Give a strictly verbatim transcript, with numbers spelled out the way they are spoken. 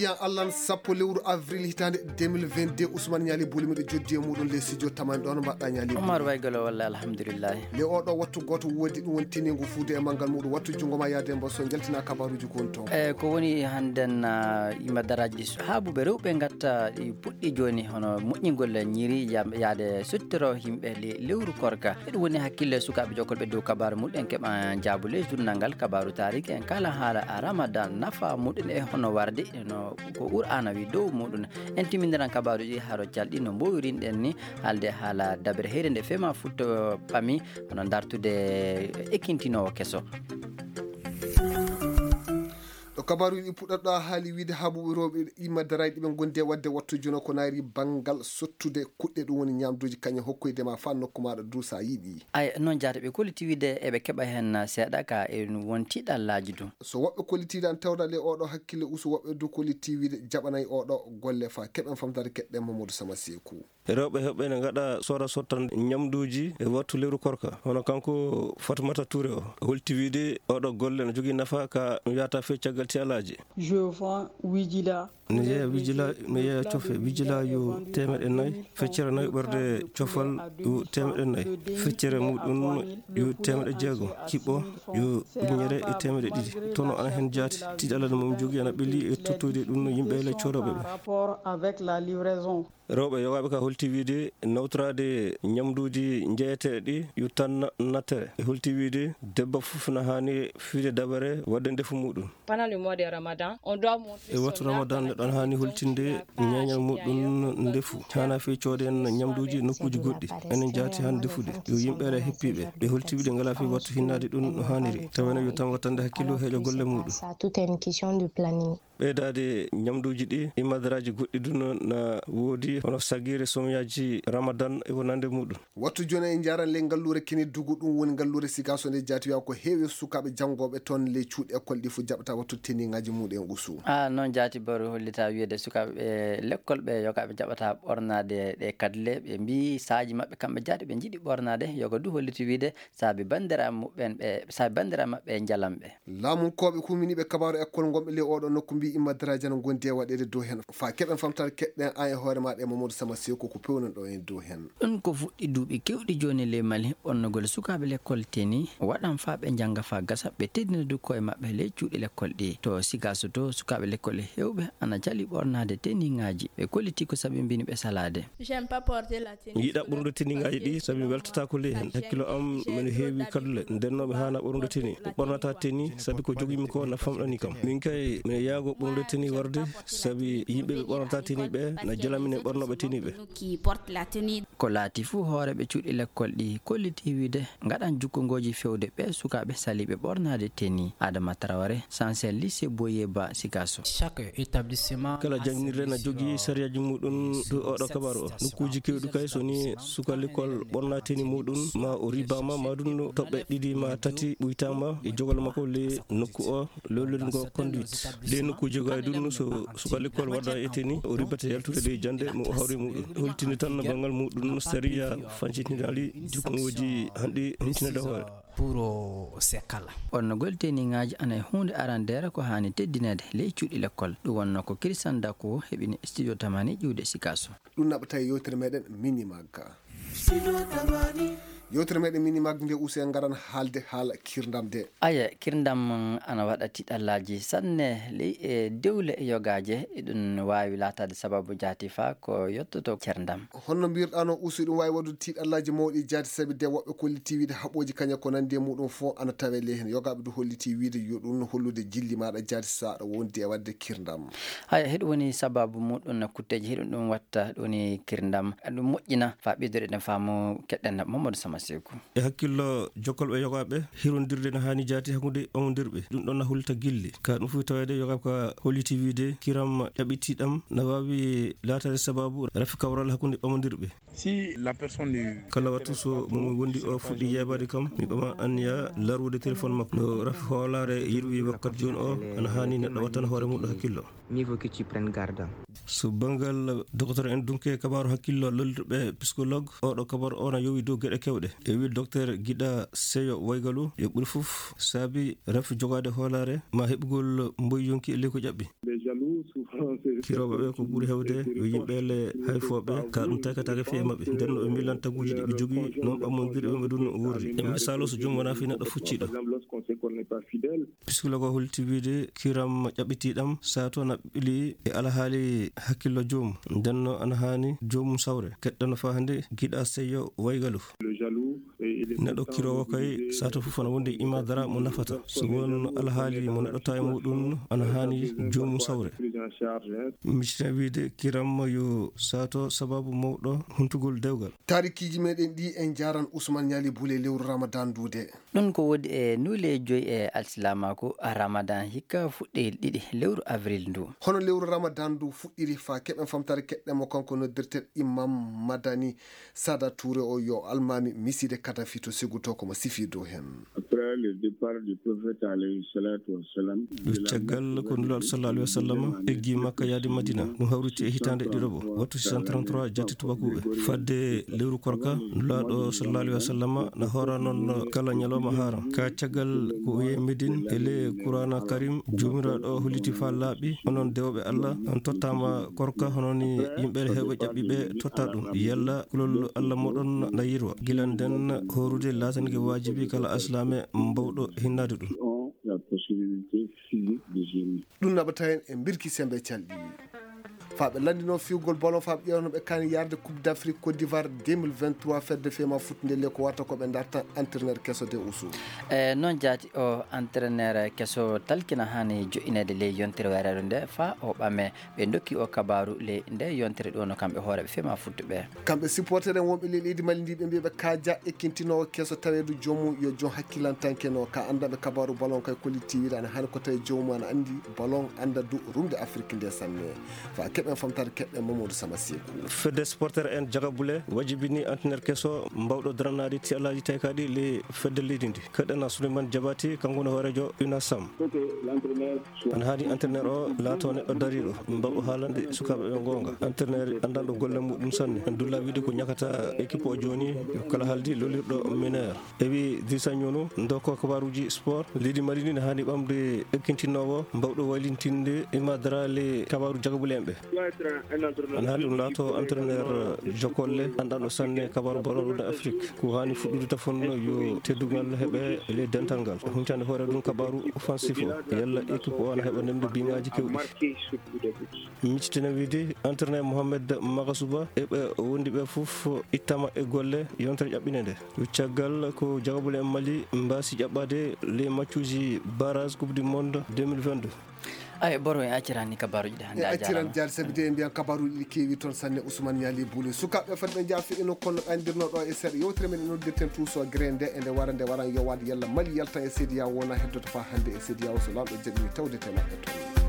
Yan Allan sappo lewru avril hitaande deux mille vingt-deux, Ousmane Ñaali Buli miɗo joddi e muɗum les studio tamani ɗon mbaɗɗa Ñaali Buli. Omar Waygolo walla alhamdulillahi. Le oɗo wattu gooto woodi ɗum woni teniigu fuude e manngal muɗum wattu junngo ma yaade mbo so njaltina kabaruuji ko woni toon. E ko woni hannden, ah, yimɓe daraaji ɗi haabuɓe rewɓe ngatta ɗi puɗɗi jooni hono moƴƴingol ñiiri yam-, yaade sottoro yimɓe le-, lewru korka. Eɗum woni hakkille sukaaɓe jokkolɓe dow kabaaru muɗum en keɓa jaabu ley journal ngal kabaaru taariki en kala haala Ramadan nafa muɗum e hono warde no ko Qur'aana wi dow muɗum. En timmindiran kabaaruuji haro calɗi no mboowirinɗen ni haalde haala dabere heyre nde fema futto ɓami hono dartude ekintinoowo keso. Ɗo kabaaruuji ɗi puɗɗata ɗo a haali wiide haabuɓe rewɓe imma daraaji ɗi ɓe ngondi e waɗde wattu jono ko naari banngal sottude kuɗɗe ɗum woni ñaamduuji kañum hokkoyde ma fa nokku maɗa du sa yiɗi. Ay, noon jaata ɓe kolliti wiide eɓe keɓa heen seeɗa ka e won tiiɗallaaji du. So woɓɓe kollitiiɗan tawda le oɗo hakkille usu woɓɓe du kolliti wiide jaɓanay oɗo golle fa keɓen famtare keɗɗen Mamadou Sama Seeku. Rewɓe heɓɓe ne ngaɗa sora sottan ñamduuji e wattu lewru korka. Hono kanko Fatumata Touré o, holti wiide oɗo golle no jogii nafa ka no yahata fee caggal tiyalaaji. Je vends huit djila. Mi yeeya wijila, mi yeeya cofe wijila yo teemeɗe nayi, feccere nayi ɓerde cofal yo teemeɗe nayi, feccere muɗum yo teemeɗe jeego, kiɓɓo yo ujunere e teemeɗe ɗiɗi. Tono ana heen jaati, tiiɗalla no mum jogii ana ɓelli e tottoyde ɗum no yimɓe le coodooɓe ɓe. Rapport avec la livraison. Rewɓe yogaaɓe ka holti wiide nawtoraade ñamduuji njeyeteeɗi yo tan nattere. E holti wiide debbo fof na haani fiide dabare waɗde ndefu muɗum. Pendant le mois de Ramadan, on doit montrer e wattu son Ramadan, neɗɗo ana haani holtinde ñeeñal muɗum ndefu. Haana fii coode en ñamduuji nokkuuji goɗɗi. Enen jaati haan defude. Yo yimɓe ara heppiiɓe. Ɓe holti wiide ngalaa fii wattu hinnaade ɗum no haaniri. Tawa ene yo tan wattande hakkillo heeƴo golle muɗum. Ça, tout est une question de planning. Ɓeydaade ñamduuji ɗi, imadaraaji goɗɗi du no na woodi, hono sagiire, somyaaji Ramadan e ko nande muɗum. Wattu jooni en njaaran le ngalluure Kene Dugu, ɗum woni ngalluure Sikaaso nde jaati wiya ko heewi sukaaɓe janngooɓe toon le cuuɗi école ɗi fof jaɓata wattu teniŋaaji muɗum en usu. A, noon jaati baru hollita wiyeede sukaaɓe ɓe lekkol ɓe yogaaɓe jaɓata ɓornaade ɗe kadle, ɓe mbii saaji maɓɓe kamɓe jaati ɓe njiɗi ɓornaade, yoga du holliti wiide saabi banndiraaɓe muɓɓen ɓe, saabi banndiraaɓe maɓɓe e njalam ɓe. Laamunkooɓe huminiiɓe kabaaru ekkol ngonɓe ley ooɗoo nokku mbii imma daraaji ana ngondi e waɗeede dow heen. Faa keɓen famtaare keɗɗen aan e hoore maaɗa e Mamadou Sama Seeku ko pewnen ɗo en dow heen. Ɗum ko fuɗɗi duuɓi keewɗi jooni ley Mali, ɓornugol sukaaɓe lekkol teni waɗan faa ɓe njannga faa gasa, ɓe teddina du koye maɓɓe ley cuuɗi lekkol ɗi. To Sigaso to, sukaaɓe lekkol e heewɓe ana calii ɓornaade teniŋaaji. Ɓe kolliti ko sabinbini ɓe salaade. J'aime pas porter la Mi yiɗaa ɓornude teniŋaaji ɗi, sabi mi weltataako ley heen. Hakkillo am mino heewi kadule, nden noon mi haanaa ɓornude teni. Mi ɓornataa teni, sabi ko jogii-mi ko na famɗani kam. Min kay, mino yaagoo ɓornude teni warde, sabi yimɓe ɓe ɓornataa teni ɓe na jela minen ɓornooɓe teni ɓe. Qui porte la tenue. Ko laati fuu hooreeɓe cuuɗi lekkol ɗi kolliti wiide ngaɗan jukkungooji feewde ɓee sukaaɓe saliiɓe ɓornaade teni. Adama Traoré, Sansel lycée Boyeba Sikasso. Chaque établissement Kala a jannginirde na ses jogii règles. Sariyaaji muɗum dow oɗo kabaaru o. Nokkuuji keewɗi kay so ni suka lekkol ɓorna teni muɗum, ma o ribaama, ma ɗum no toɓɓe ɗiɗi ma tati ɓuytaama e jogol makko le nokku o, lollude ngo conduite. Le nokkuuji gay ɗum so suka lekkol waɗa e teni, o ribata yaltude ɗe jannde mo o hawri muɗum. Holtini tan no banngal muɗum sariya fancitinaali jukkungooji hanɗi huccinaade hoore. Pour, euh, ces cas-là. Ɓornugol teniŋaaji ana e huunde arandeere ko haani teddineede ley cuuɗi lekkol. Ɗum wonnoo ko Christian Dako heɓini studio Tamani ƴiwde Sikasso. Ɗum naɓata e yewtere meɗen Minimag. Yewtere meɗen Minimag nde usi en ngaran haalde haala kirndam de. Aya, kirndam ana waɗa tiiɗallaaji sanne ley e dewle yogaaje, eɗum waawi laataade sababu jaati faa ko yottoto cerndam. Honno mbirɗaa no usu ɗum waawi waɗude tiiɗallaaji mawɗi jaati sabi de woɓɓe kolliti wiide haɓooji kaña ko nanndi e muɗum fof ana tawee ley heen. Yogaaɓe du holliti wiide yo ɗum hollude jilli maaɗa jaati so aɗa wondi e waɗde kirndam. Haya, heɗum woni sababu muɗum no kutteeji heɗum ɗum watta ɗum woni kirndam. Ɗum moƴƴina faa ɓeydude ɗen faamu keɗɗen Mamadou Sama Seeku. E hakkillo jokkolɓe yogaaɓe, hirondirde no haani jaati hakkunde ɓamondirɓe. Ɗum ɗon na hollita gilli. Ka ɗum fof taweede yogaaɓe ka holliti wiide kiram ɗaɓɓitiiɗam na waawi laataade sababu rafi kawral hakkunde ɓamondirɓe. Si la personne Kala wattu so mo wondi o fuɗɗi yeebaade kam, mi ɓama anniya larwude téléphone makko. No rafi hoolaare yiɗuɓe wakkati jooni o, ana haani neɗɗo wattana hoore mum hakkillo. Mieux vaut que tu prennes garde. So banngal docteur en dunke kabaaru hakkillo lollirɓe psychologue, oɗo kabaaru o na yowi dow geɗe kewɗe. ɗe. E wii Doktor Giɗa Seyo Waygalu, yo ɓuri fof saabi rafi jogaade hoolaare ma heɓugol mboy yonki e ley ko ƴaɓɓi. Kirooɓe ɓe ko ɓuri heewde yo yimɓe le hayfooɓe, ka ɗum taykataake fii e maɓɓe. Nden no ɓe miilan taguuji ɗi ɓe jogii, non ɓammondirii ɓe ɗum worri. E misaalu, so joom wonaa fii neɗɗo fucciiɗo. Psikoloog o holliti wiide kiram ƴaɓɓitiiɗam sato na ɓili e alhaali hakkillo joom. Nden no ana haani joomum sawre. Keɗɗano faa hannde Giɗa Seyo Waygalu. Neɗɗo kiroowo kay, sato fof ana wondi ima dara mo nafata. So won alhaali mo neɗɗo tawi muɗum, ana haani joomum sawre. Miciten wiide kiram yo sato sababu mawɗo huntugol dewgal. Taarikiiji meɗen ɗi en njaaran Usman Ñaali Bule lewru Ramadan nduude. Ɗum ko woodi e nuule joyi e alsilaamaaku Ramadan hikka fuɗɗoyel ɗiɗi lewru avril ndu. Hono lewru Ramadan ndu fuɗɗiri faa keɓen famtaare keɗɗen mo kanko noddirten Imam Madani Sada Touré o yo almaami miside Kadafi to Seguto ko mo sifii dow heen. Après le départ du prophète alayhi salatu wassalam, ɗum caggal ko Nulaaɗo sallallahu alayhi wa sallam eggi Makka yaade Madina, ɗum hawriti e hitaande ɗiɗaɓo, wattu six cent trente-trois jatti tubakuɓe. Fadde lewru korka, Nulaaɗo sallallahu alayhi wa sallam na hoora noon kala ñalawma haaram. Ka caggal ko o yehi Medine, e le Qur'aana Karim, Joomiraaɗo holliti faa laaɓi, onon dewooɓe Allah, on tottaama korka hono ni yimɓe heewɓe ƴaɓɓiiɓe totta ɗum. Yalla kulol Allah mooɗon na yirwa. Gila nden hoorude laatanke waajibi kala alsilaame mbawɗo hinnaade ɗum. Ont la possibilité physique de jeûner. Ɗum naɓata en e mbirki sembe calɗi. Faa ɓe lanndinoo fiwgol ballon, faa ɓe ƴeewa no ɓe kaani yarde Coupe d'Afrique Côte d'Ivoire deux mille vingt-trois, fedde fema futtunde le ko wata ko ɓe darta entraîneur keso de Ousou. E noon jaati o entraîneur keso talkina haani joƴƴineede ley yontere wayraɗo nde faa o ɓame. Ɓe ndokki o kabaaru ley nde yontere ɗo no kamɓe hooreeɓe fema futtuɓe. Kamɓe supporter en wonɓe ley leydi Mali ndi ɓe mbiya ɓe kaaja ekkintinoowo keso taweedu joomum yo joom hakkilantanke no ka anndanɓe kabaaru ballon kay kolliti wiide ana haani ko tawi joomum ana anndi ballon annda du rumde Afrik nde sanne. Faa keɓen famtaare keɓen Mamadou Sama Seeku. Fedde supporter en Jagabule wajibini entraîneur keso mbawɗo daranaade tiyalaaji taykaaɗi ley fedde leydi ndi. Keɗen Souleymane Diabati, kanko woni hooreejo UNASAM. Ana haani entraîneur o laato neɗɗo dariiɗo, mbawɗo haalande sukaaɓe ɓe goonga. Entraîneur anndanɗo golle muɗum sanne. Dulla wiide ko ñakata équipe o jooni, yo kala haaldi lolirɗo meilleur. E wi Dirisa Ñono, ndoko kabaaruuji sport, leydi Mali ndi ne haani ɓamde ekkintinoowo, mbawɗo waylintinde e madara le kabaaru jagabuleemɓe. Ana haani ɗum laato entraîneur jokolle, anndanɗo sanne kabaaru ballon ɗum Afrique. Ko haani fuɗɗude tafon yo teddugal heɓe ley dental ngal. Huncande hoore ɗum kabaaru offensif o. Yalla équipe o ana heɓa nemde biŋaaji kewɗi. Miccitene wiide entraîneur Mohamed Magasuba e ɓe wondi ɓe fof ittama e golle yontere ƴaɓɓinde nde. Caggal ko jagabule en Mali mbaasi ƴaɓɓade ley maccuuji barrage Coupe du Monde deux mille vingt-deux. Ay, Boro, en acciran ni kabaaruuji ɗi hannde E a acciran jaaraama. Jaari sabi de en mbiyan kabaaruuji ɗi keewi toon sanne Ousmane Ñaali Buuli. Sukaaɓe fadde ɓe njaafi e nokku kono ɗandirno ɗo e seeɗa yewtere men e noddirten tuuso gere nde e nde wara nde waran yowaade yalla Mali yalta e C D A O wona heddoto faa hannde e C D A O so laamɗo jaɓi tawde te maɓɓe toon.